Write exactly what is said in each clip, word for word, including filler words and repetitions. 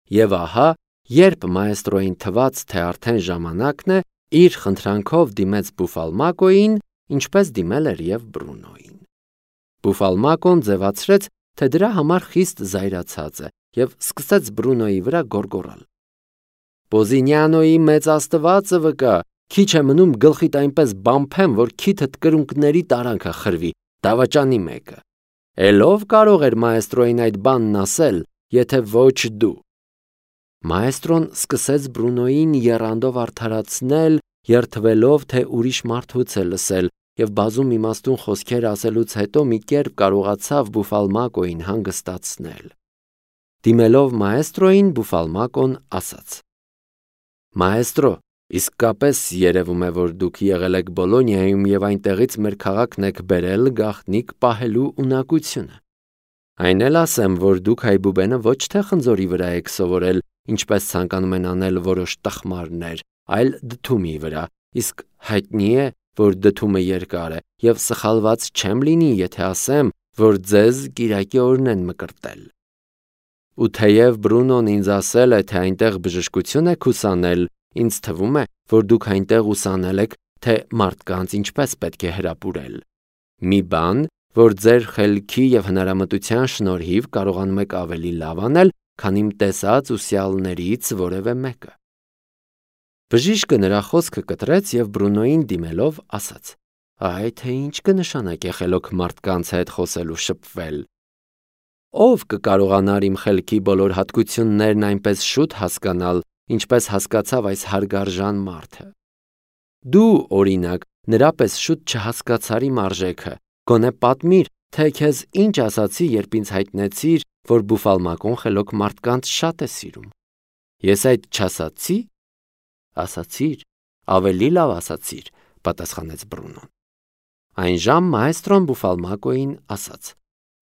Եվ ահա, երբ մայստրոյին թվաց, թե արդեն ժամանակն է, իր խնդրանքով դիմեց Բուֆալմակոյին, ինչպես դիմել էր և Բրունոյին։ Բուֆալմակոն ձևացրեց, թե դրա համար խիստ զայրացած է և սկսեց Բրունոյի վրա գոռգոռալ. «Պոզինիանոյի մեծ աստվածը վկա, քիչ է մնում գլխիդ այնպես բամփեմ, որ քիթդ կրունկների տարանքը խրվի, դավաճանի մեկը։ Էլ ով կարող էր մայստրոյին այդ բանն ասել, եթե ոչ դու»։ Մայստրոն սկսեց Բրունոյին եռանդով արդարացնել, երդվելով, թե ուրիշ մարդուց է լսել, և բազում իմաստուն խոսքեր ասելուց հետո մի կերպ կարողացավ Բուֆալմակոյին հանգստացնել։ Դիմելով մայստրոյին, Բուֆալմակոն ասաց. «Մայստրո, իսկապես երևում է, որ դուք եղել եք Բոլոնիայում և այնտեղից մեր քաղաքն եք բերել գաղտնիք պահելու ունակությունը։ Այն էլ ասեմ, որ դուք հայբուբենը ոչ թե խնձորի վրա եք սովորել, ինչպես ցանկանում են անել որոշ տխմարներ, այլ դդումի վրա, իսկ հայտնի է, որ դդումը երկար է, և սխալված չեմ լինի, եթե ասեմ, որ ձեզ կիրակի օրն են մկրտել։ Ու թեև Բրունոն ինձ ասել է, թե այնտեղ բժշկություն եք ուսանել, ինձ թվում է, որ դուք այնտեղ ուսանել եք, թե մարդկանց ինչպես պետք է հրապուրել։ Մի բան, որ ձեր խելքի և հնարամտության շնորհիվ կարողանում եք ավելի լավ անել, քան իմ տեսած ուսյալներից որևէ մեկը»։ Բժիշկը նրա խոսքը կտրեց և Բրունոյին դիմելով ասաց. «Այ թե ինչ կնշանակե խելոք մարդկանց հետ խոսել ու շփվել։ Ո՞վ կկարողանար իմ խելքի բոլոր հատկություններն այնպես շուտ հասկանալ, ինչպես հասկացավ այս հարգարժան մարդը։ Դու, օրինակ, նրա պես շուտ չհասկացար իմ արժեքը, գոնե պատմիր, թե քեզ ինչ ասացի, երբ ինձ հայտնեցիր, որ Բուֆալմակոն խելոք մարդկանց շատ է սիրում։ Ես այդ չասացի՞։ Ասացիր, ավելի լավ ասացիր, պատասխանեց Բրունոն։ Այնժամ մայստրոն Բուֆալմակոյին ասաց.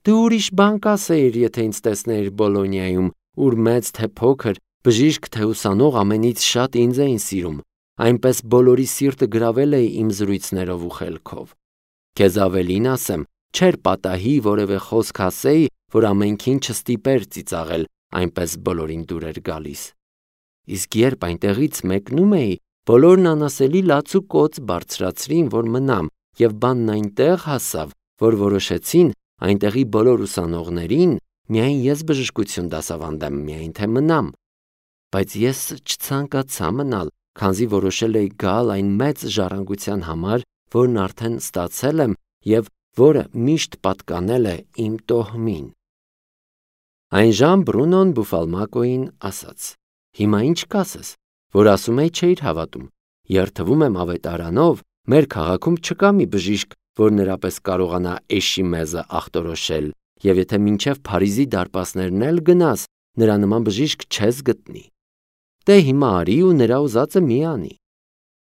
«Դու ուրիշ բան կասեիր, եթե ինձ տեսնեիր Բոլոնիայում, ուր մեծ թե փոքր, բժիշկ թե ուսանող ամենից շատ ինձ էին սիրում, այնպես բոլորի սիրտը գրավել էի իմ զրույցներով ու խելքով։ Քեզ ավելին ասեմ, չէր պատահի որևէ խոսք ասեի, որ ամենքին չստիպեր ծիծաղել, այնպես բոլորին դուր էր գալիս։ Իսկ երբ այնտեղից մեկնում էի, բոլորն անասելի լաց ու կոծ բարձրացրին, որ մնամ, և բանն այնտեղ հասավ, որ որոշեցին այնտեղի բոլոր ուսանողներին միայն ես բժշկություն դասավանդեմ, միայն թե մնամ։ Բայց ես չցանկացա մնալ, քանզի որոշել էի գալ այն մեծ ժառանգության համար, որն արդեն ստացել եմ և որը միշտ պատկանել է իմ տոհմին»։ Այնժամ Բրունոն Բուֆալմակոյին ասաց. «Հիմա ինչ կասես, որ ասում էի չէիր հավատում։ Երդվում եմ ավետարանով, մեր քաղաքում չկա մի բժիշկ, որ նրա պես կարողանա էշի մեզը ախտորոշել, և եթե մինչև Փարիզի դարպասներն էլ գնաս, նրա նման բժիշկ չես գտնի։ Դե հիմա արի ու նրա ուզածը մի անի»։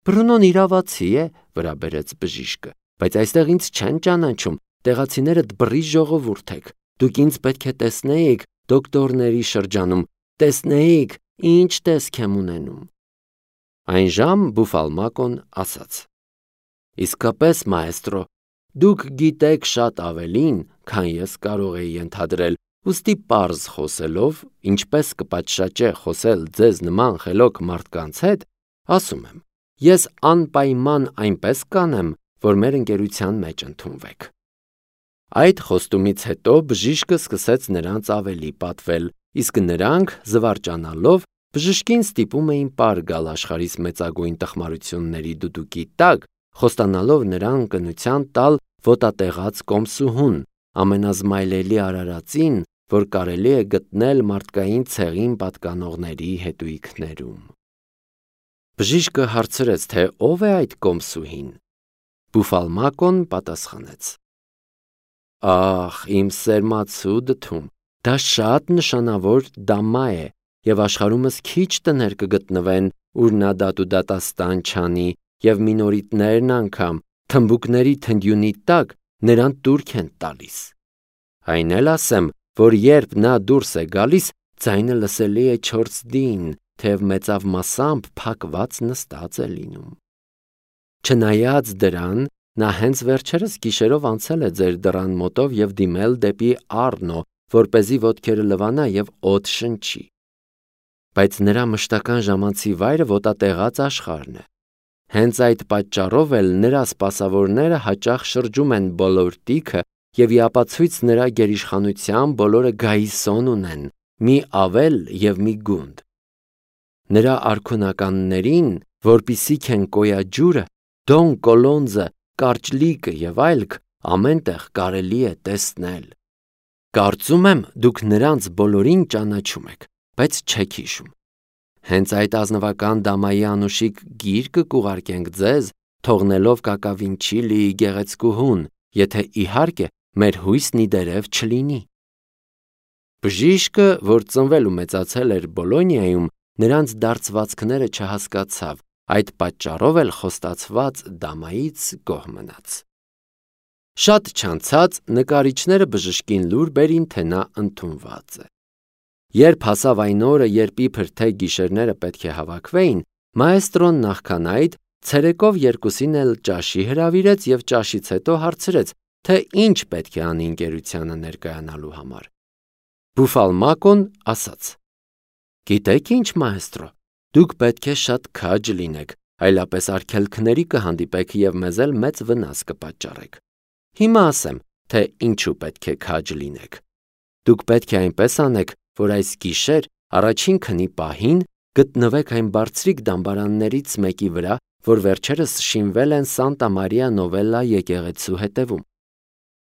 Բրունոն իրավացի է, վրա բերեց բժիշկը, բայց այստեղ ինձ չեն ճանաչում, տեղացիները դբռի ժողովուրդ եք, դուք ինձ պետք է տեսնեիք դոկտորների շրջանում, տեսնեիք, ինչ տեսք եմ ունենում։ Այնժամ Բուֆալմակոն ասաց. «Իսկապես, մայստրո, դուք գիտեք շատ ավելին, քան ես կարող էի ենթադրել, ուստի պարզ խոսելով, ինչպես կպատշաճե խոսել ձեզ նման խելոք մարդկանց հետ, ասում եմ, ես անպայման այնպես կանեմ, որ մեր ընկերության մեջ ընդունվեք»։ Այդ խոստումից հետո բժիշկը սկսեց նրանց ավելի պատվել, իսկ նրանք, զվարճանալով, բժշկին ստիպում էին պար գալ աշխարհիս մեծագույն տխմարությունների դուդուկի տակ, խոստանալով նրան կնության տալ ոտատեղած կոմսուհուն, ամենազմայլելի արարածին, որ կարելի է գտնել մարդկային ցեղին պատկանողների հետույքներում։ Բժիշկը հարցրեց, թե ով է այդ կոմսուհին։ Բուֆալմակոն պատասխանեց. «Ախ, իմ սերմացու դդում, դա շատ նշանավոր դամա է, և աշխարհումս քիչ տներ կգտնվեն, ուր նա դատ ու դատաստան չանի, և մինորիտներն անգամ, թմբուկների թնդյունի տակ, նրան տուրք են տալիս։ Այն էլ ասեմ, որ երբ նա դուրս է գալիս, ձայնը լսելի է չորսդին, թեև մեծավ մասամբ փակված նստած է լինում։ Չնայած դրան, նա հենց վերջերս գիշերով անցել է ձեր դռան մոտով և դիմել դեպի Առնո, որպեսզի ոտքերը լվանա և օդ շնչի։ բայց նրա մշտական ժամանցի վայրը ոտատեղած աշխարհն է։ Հենց այդ պատճառով էլ նրա սպասավորները հաճախ շրջում են բոլոր տիքը և ի ապացույց նրա գերիշխանության բոլորը գայիսոն ունեն, մի ավել և մի գունդ։ Նրա արքունականներին, որպիսիք են կոյաջուրը, դոն կոլոնձը, կարճլիկը և այլք, ամեն տեղ կարելի է տեսնել։ Կարծում եմ, դուք նրանց բոլորին ճանաչում եք, բայց չեք հիշում։ Հենց այդ ազնվական դամայի անուշիկ գիրկը կուղարկենք ձեզ, թողնելով Կակավինչիլիի գեղեցկուհուն, եթե իհարկե մեր հույսն ի դերև չլինի։ Բժիշկը, որ ծնվել ու մեծացել էր Բոլոնիայում, նրանց դարձվածքները չհասկացավ, այդ պատճառով էլ խոստացված դամայից գոհ մնաց։ Շատ չանցած նկարիչները բժշկին լուր բերին, թե նա ընդունված է։ Երբ հասավ այն օրը, երբ իբր թե գիշերները պետք է հավաքվեին, մաեստրոն նախքան այդ ցերեկով երկուսին էլ ճաշի հրավիրեց և ճաշից հետո հարցրեց, թե ինչ պետք է անի ընկերությանը ներկայանալու համար։ Բուֆալմակոն ասաց. «Գիտեք ինչ, մաեստրո, դուք պետք է շատ քաջ լինեք, այլապես արգելքների կհանդիպեք և մեզ էլ մեծ վնաս կպատճառեք։ Հիմա ասեմ, թե ինչու պետք է քաջ լինեք։ Դուք պետք է այնպես անեք, որ այս գիշեր առաջին քնի պահին գտնվեք այն բարձրիկ դամբարաններից մեկի վրա, որ վերջերս շինվել են Սանտա Մարիա Նովելլա եկեղեցու հետևում։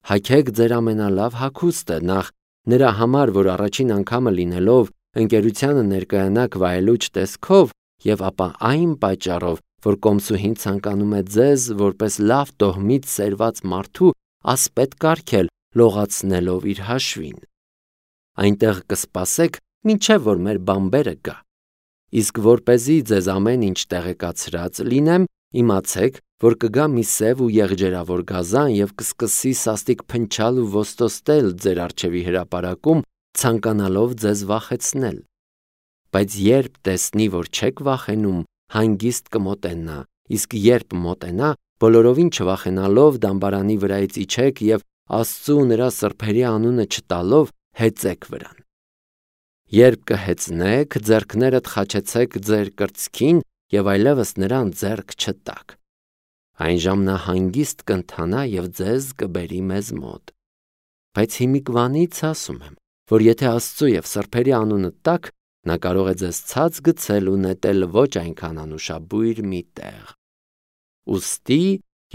Հագեք ձեր ամենալավ հագուստը, նախ նրա համար, որ առաջին անգամը լինելով ընկերությանը ներկայանաք վայելուչ տեսքով, և ապա այն պատճառով, որ կոմսուհին ցանկանում է ձեզ, որպես լավ տոհմից սերված մարդու, ասպետ կարգել, լողացնելով իր հաշվին։ Այնտեղ կսպասեք, մինչև որ մեր բամբերը գա։ Իսկ որպեսզի ձեզ ամեն ինչ տեղեկացրած լինեմ, իմացեք, որ կգա մի սև ու եղջերավոր գազան և կսկսի սաստիկ փնչալ ու ոստոստել ձեր առջևի հրապարակում, ցանկանալով ձեզ վախեցնել։ Բայց երբ տեսնի, որ չեք վախենում, հանգիստ կմոտենա, իսկ երբ մոտենա, բոլորովին չվախենալով դամբարանի վրայից իջեք և Աստծու ու նրա սրբերի անունը չտալով հեծեք վրան։ Երբ կհեծնեք, ձեռքներդ խաչեցեք ձեր կրծքին և այլևս նրան ձեռք չտաք։ Այն ժամ նա հանգիստ կընթանա և ձեզ կբերի մեզ մոտ։ Բայց հիմիկվանից ասում եմ, որ եթե Աստծու և սրբերի անունը տաք, նա կարող է ձեզ ցած գցել ու նետել ոչ այնքան անուշաբույր մի տեղ։ Ուստի,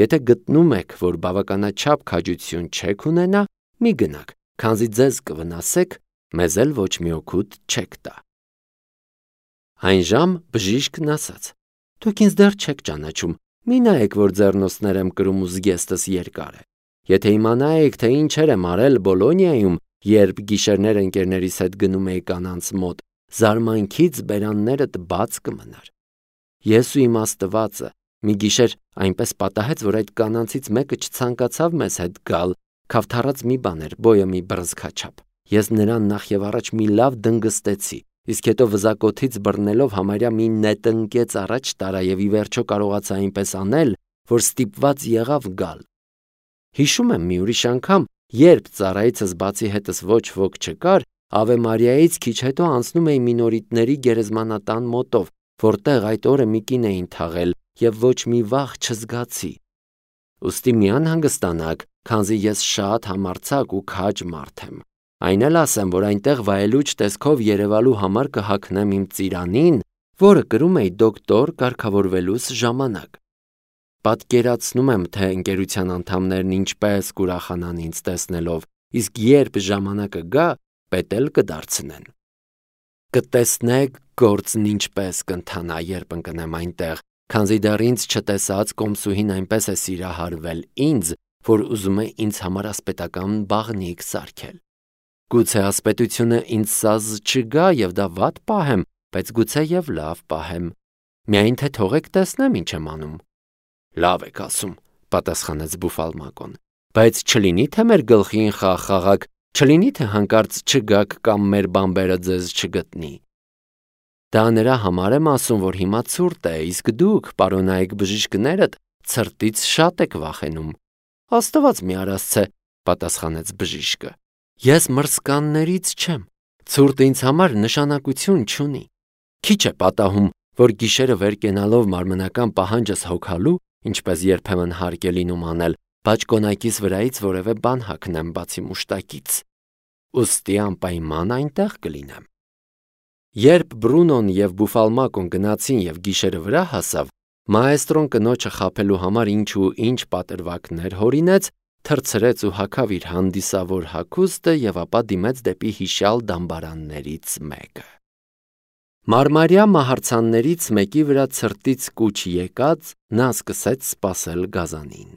եթե գտնում եք, որ բավականաչափ քաջություն չեք ունենա, մի գնաք, քանզի ձեզ կվնասեք, մեզ էլ ոչ մի օգուտ չեք տա։ Այն ժամ բժիշկն ասաց. «Դուք ինձ դեռ չեք ճանաչում, մի նայեք, որ ձեռնոցներ եմ կրում ու զգեստս երկար է։ Եթե իմանայիք, թե ինչեր եմ արել Բոլոնիայում, երբ գիշերներ ընկերներիս հետ գնում էի կանանց մոտ, զարմանքից բերաններդ բաց կմնար։ Ես ու իմ Աստվածը մի գիշեր այնպես պատահեց, որ այդ կանանցից մեկը չցանկացավ մեզ հետ գալ, քավթառած մի բան էր, բոյը մի բռնցքաչափ։ Ես նրան նախ և առաջ մի լավ դնգստեցի, իսկ հետո վզակոթից բռնելով համարյա մի նետնկեց առաջ տարա և ի վերջո կարողացա այնպես անել, որ ստիպված եղավ գալ։ Հիշում եմ մի ուրիշ անգամ, երբ ծառայիցս բացի հետս ոչ ոք չկար, Ավե Մարիայից քիչ հետո անցնում էի Մինորիտների գերեզմանատան մոտով, որտեղ այդ օրը մի կին էին թաղել և ոչ մի վախ չզգացի։ Ուստի մի անհանգստանաք, քանզի ես շատ համարձակ ու քաջ մարդ եմ։ Այն էլ ասեմ, որ այնտեղ վայելուչ տեսքով երևալու համար կհագնեմ իմ ծիրանին, որը կրում էի դոկտոր կարգավորվելուս ժամանակ։ Պատկերացնում եմ, թե ընկերության անդամներն ինչպես կուրախանան ինձ տեսնելով, իսկ երբ ժամանակը գա, պետ էլ կդարձնեն։ Կտեսնեք գործն ինչպես կընթանա, երբ ընկնեմ այնտեղ, քանզի դեռ ինձ չտեսած կոմսուհին այնպես է սիրահարվել ինձ, որ ուզում է ինձ համար ասպետական բաղնիք սարքել։ Գուցե ասպետությունը ինձ սազ չգա և դա վատ պահեմ, բայց գուցե և լավ պահեմ։ Միայն թե թողեք տեսնեմ ինչ եմ անում։ Լավ եք ասում, պատասխանեց Բուֆալմակոն, բայց չլինի թե մեր գլխին խաղ խաղաք, չլինի թե հանկարծ չգաք կամ մեր բամբերը ձեզ չգտնի։ Դա նրա համար եմ ասում, որ հիմա ցուրտ է, իսկ դուք, պարոնայք բժիշկներդ, ցրտից շատ եք վախենում։ Աստված մի արասցե, պատասխանեց բժիշկը։ Ես մրսկաններից չեմ, ցուրտը ինձ համար նշանակություն չունի։ Քիչ է պատահում, որ գիշերը վեր կենալով մարմնական պահանջս հոգալու, ինչպես երբեմն հարկ է լինում անել, բաճկոնակիս վրայից որևէ բան հագնեմ բացի մուշտակից։ Ուստի անպայման այնտեղ կլինեմ։ Երբ Բրունոն և Բուֆալմակոն գնացին և գիշերը վրա հասավ, մաեստրոն կնոջը խաբելու համար ինչ ու ինչ պատրվակներ հորինեց, թռցրեց ու հագավ իր հանդիսավոր հագուստը և ապա դիմեց դեպի հիշյալ դամբարաններից մեկը։ Մարմարյա մահարձաններից մեկի վրա ցրտից կուչ եկած, նա սկսեց սպասել գազանին։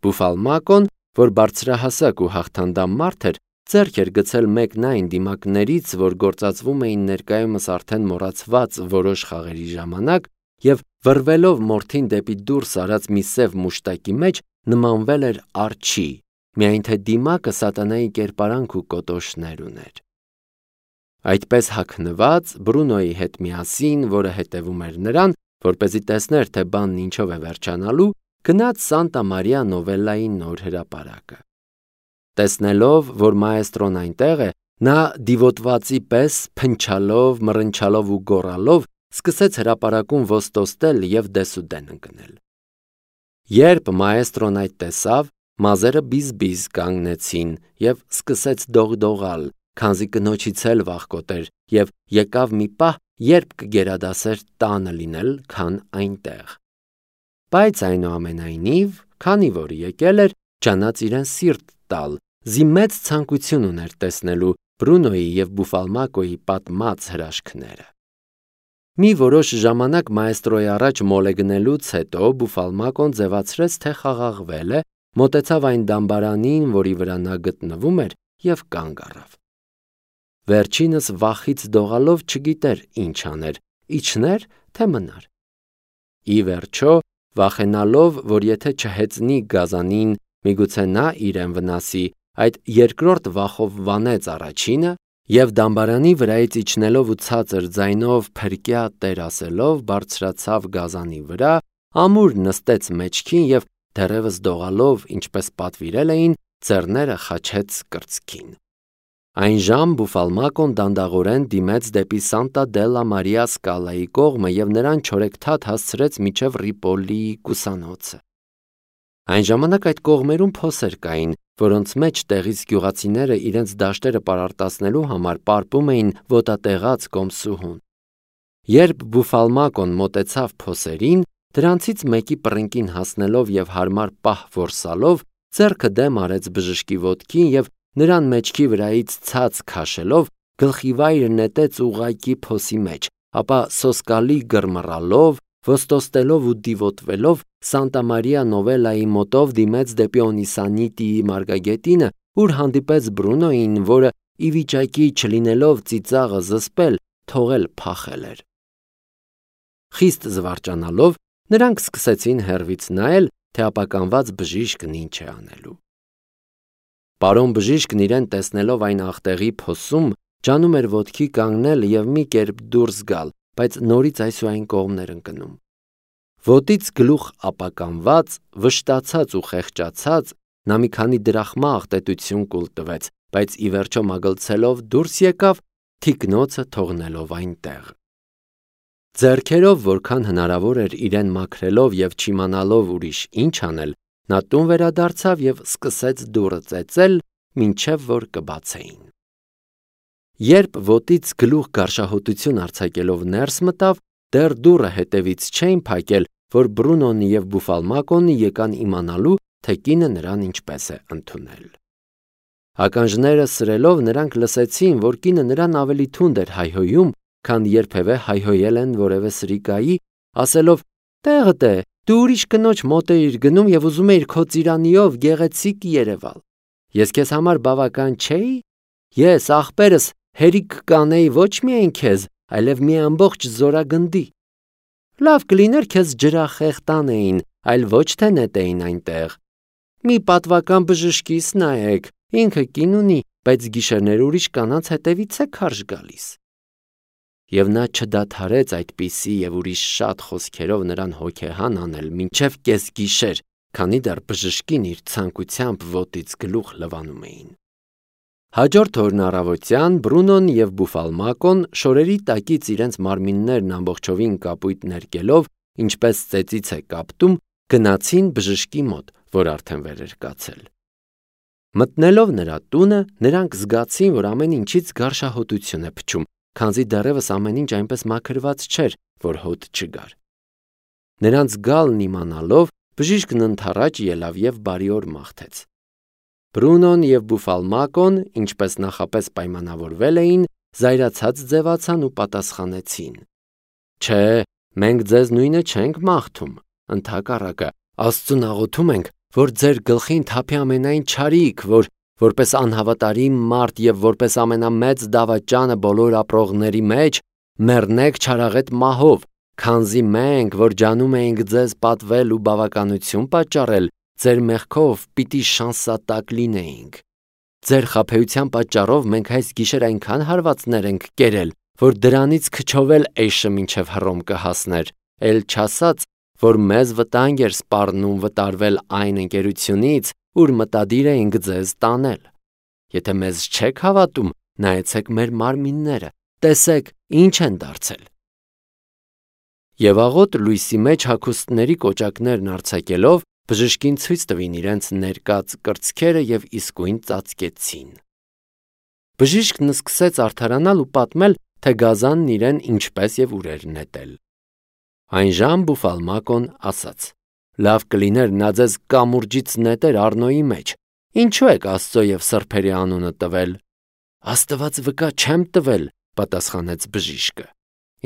Բուֆալմակոն, որ բարձրահասակ ու հաղթանդամ մարդ էր, ձեռք էր գցել մեկն այն դիմակներից, որ գործածվում էին ներկայումս արդեն մոռացված որոշ խաղերի ժամանակ, և վռվելով մորթին դեպի դուրս արած մի սև մուշտակի մեջ, նմանվել էր արջի, միայն թե դիմակը սատանայի կերպարանք ու կոտոշներ ուներ։ Այդպես հագնված, Բրունոյի հետ միասին, որը հետևում էր նրան, որպեսզի տեսներ, թե բանն ինչով է վերջանալու, գնաց Սանտա Մարիա Նովելլայի նոր հրապարակը։ Տեսնելով, որ մաեստրոն այնտեղ է, նա դիվոտվածի պես փնչալով, մռնչալով ու գոռալով սկսեց հրապարակում ոստոստել և դեսուդեն ընկնել։ Երբ մաեստրոն այդ տեսավ, մազերը բիզ-բիզ կանգնեցին և սկսեց դողդողալ, քանզի կնոջից էլ վախկոտ էր, և եկավ մի պահ, երբ կգերադասեր տանը լինել, քան այնտեղ։ Բայց այնուամենայնիվ, քանի որ եկել էր, ջանաց իրեն սիրտ տալ, զի մեծ ցանկություն ուներ տեսնելու Բրունոյի և Բուֆալմակոյի պատմած հրաշքները։ Մի որոշ ժամանակ մաեստրոյի առաջ մոլեգնելուց հետո Բուֆալմակոն ձևացրեց, թե խաղաղվել է, մոտեցավ այն դամբարանին, որի վրա նա գտնվում էր, և կանգ առավ։ Վերջինս վախից դողալով չգիտեր ինչ աներ, իջներ, թե մնար։ Ի վերջո, վախենալով, որ եթե չհեծնի գազանին, միգուցե նա իրեն վնասի, այդ երկրորդ վախով վանեց առաջինը և դամբարանի վրայից իջնելով ու ցածր ձայնով փրկյա տեր ասելով բարձրացավ գազանի վրա, ամուր նստեց մեջքին և դեռևս դողալով, ինչպես պատվիրել էին, ձեռները խաչեց կրծքին։ Այնժամ Բուֆալմակոն դանդաղորեն դիմեց դեպի Սանտա դելլա Մարիա Սկալայի կողմը և նրան չորեքթաթ հասցրեց մինչև Ռիպոլիի կուսանոցը։ Այն ժամանակ այդ կողմերում փոսեր կային, որոնց մեջ տեղից գյուղացիները իրենց դաշտերը պարարտացնելու համար պարպում էին ոտատեղած կոմսուհուն։ Երբ Բուֆալմակոն մոտեցավ փոսերին, դրանցից մեկի պռնկին հասնելով և հարմար պահ որսալով, ձեռքը դեմ արեց բժշկի ոտքին և նրան մեջքի վրայից ցած քաշելով, գլխիվայր նետեց ուղղակի փոսի մեջ, ապա սոսկալի գրմռալով, ոստոստելով ու դիվոտվելով Սանտա Մարիա Նովելլայի մոտով դիմեց դեպի Օնիսանիտիի մարգագետինը, ուր հանդիպեց Բրունոյին, որը ի վիճակի չլինելով ծիծաղը զսպել, թողել փախել էր։ Խիստ զվարճանալով, նրանք սկսեցին հեռվից նայել, թե ապականված բժիշկն ինչ է անելու։ Պարոն բժիշկն իրեն տեսնելով այն աղտեղի փոսում, ջանում էր ոտքի կանգնել և մի կերպ դուրս գալ, բայց նորից այս ու այն կողմներ ընկնում։ Ոտից գլուխ ապականված, վշտացած ու խեղճացած, նա մի քանի դրախմա աղտետություն կուլ տվեց, բայց ի վերջո մագլցելով դուրս եկավ, թիկնոցը թողնելով այնտեղ։ Ձեռքերով որքան հնարավոր էր իրեն մաքրելով և չիմանալով ուրիշ ինչ անել, նա տուն վերադարձավ և սկսեց դուռը ծեծել, մինչև որ կբացեին։ Երբ ոտից գլուխ գարշահոտություն արձակելով ներս մտավ, դեռ դուռը հետևից չէին փակել, որ Բրունոն և Բուֆալմակոնը եկան իմանալու, թե կինը նրան ինչպես է ընդունել։ Ականջները սրելով նրանք լսեցին, որ կինը նրան ավելի թունդ էր հայհոյում, քան երբևէ հայհոյել են որևէ սրիկայի, ասելով. «Տեղդ է, դու ուրիշ կնոջ մոտ էիր գնում և ուզում էիր քո ծիրանիով գեղեցիկ երևալ։ Ես քեզ համար բավական չէի։ Ես, ախպերս, հերիք կանեի ոչ միայն քեզ, այլև մի ամբողջ զորագնդի։ Լավ կլիներ քեզ ջրախեղ տանեին, այլ ոչ թե նետեին այնտեղ։ Մի պատվական բժշկիս նայեք, ինքը կին ունի, բայց գիշերներ ուրիշ կանանց հետևից է քարշ գալիս»։ Եվ նա չդադարեց այդպիսի և ուրիշ շատ խոսքերով նրան հոգեհան անել մինչև կեսգիշեր, քանի դեռ բժշկին իր ցանկությամբ ոտից գլուխ լվանում էին։ Հաջորդ օրն առավոտյան Բրունոն և Բուֆալմակոն շորերի տակից իրենց մարմիններն ամբողջովին կապույտ ներկելով, ինչպես ծեծից է կապտում, գնացին բժշկի մոտ, որ արդեն վեր էր կացել։ Մտնելով նրա տունը, նրանք զգացին, որ ամեն ինչից գարշահոտություն է փչում, քանզի դեռևս ամեն ինչ այնպես մաքրված չէր, որ հոտ չգար։ Նրանց գալն իմանալով, բժիշկն ընդառաջ ելավ և բարի օր մաղթեց։ Բրունոն և Բուֆալմակոն, ինչպես նախապես պայմանավորվել էին, զայրացած ձևացան ու պատասխանեցին. «Չէ, մենք ձեզ նույնը չենք մաղթում, ընդհակառակը, Աստծուն աղոթում ենք, որ ձեր գլխին թափի ամենայն չարիք, որ որպես անհավատարիմ մարդ և որպես ամենամեծ դավաճանը բոլոր ապրողների մեջ մեռնեք չարաղետ մահով, քանզի մենք, որ ջանում էինք ձեզ պատվել ու բավականություն պատճառել, ձեր մեղքով պիտի շանսատակ լինեինք։ Ձեր խաբեության պատճառով մենք այս գիշեր այնքան հարվածներ ենք կերել, որ դրանից քչով էլ էշը մինչև Հռոմ կհասներ, էլ չասած, որ մեզ վտանգ էր սպառնում վտարվել այն ընկերությունից, ուր մտադիր էինք ձեզ տանել։ Եթե մեզ չեք հավատում, նայեցեք մեր մարմինները, տեսեք, ինչ են դարձել»։ Եվ աղոտ լույսի մեջ հագուստների կոճակներն արձակելով, բժշկին ցույց տվին իրենց ներկած կրծքերը և իսկույն ծածկեցին։ Բժիշկն սկսեց արդարանալ ու պատմել, թե գազանն իրեն ինչպես և ուր էր նետել։ Այնժամ Բուֆալմակոն ասաց. «Լավ կլիներ նա ձեզ կամուրջից նետեր Առնոյի մեջ, ինչու եք Աստծո և սրբերի անունը տվել»։ «Աստված վկա, չեմ տվել», պատասխանեց բժիշկը։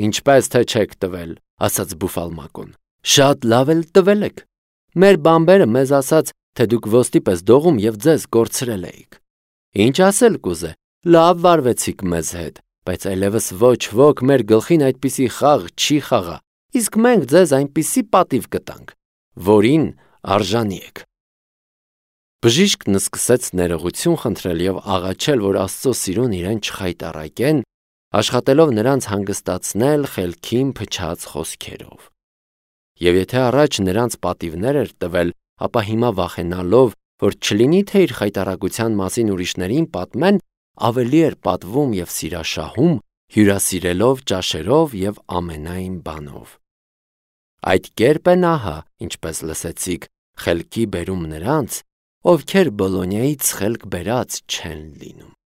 «Ինչպես թե չեք տվել», ասաց Բուֆալմակոն, «շատ լավ էլ տվել եք։ Մեր բանբերը մեզ ասաց, թե դուք ոստի պես դողում և ձեզ կորցրել էիք։ Ինչ ասել կուզե, լավ վարվեցիք մեզ հետ, բայց այլևս ոչ ոք մեր գլխին այդպիսի խաղ չի խաղա, իսկ մենք ձեզ այնպիսի պատիվ կտանք, որին արժանի եք»։ Բժիշկն սկսեց ներողություն խնդրել և աղաչել, որ Աստծո սիրուն իրեն չխայտառակեն, աշխատելով նրանց հանգստացնել խելքին փչած խոսքերով։ Եվ եթե առաջ նրանց պատիվներ էր տվել, ապա հիմա վախենալով, որ չլինի թե իր խայտառակության մասին ուրիշներին պատմեն, ավելի էր պատվում և սիրաշահում, հյուրասիրելով ճաշերով և ամենայն բանով։ Այդ կերպ է ահա, ինչպես լսեցիք, խելքի բերում նրանց, ովքեր Բոլոնիայից խելք բերած չեն լինում։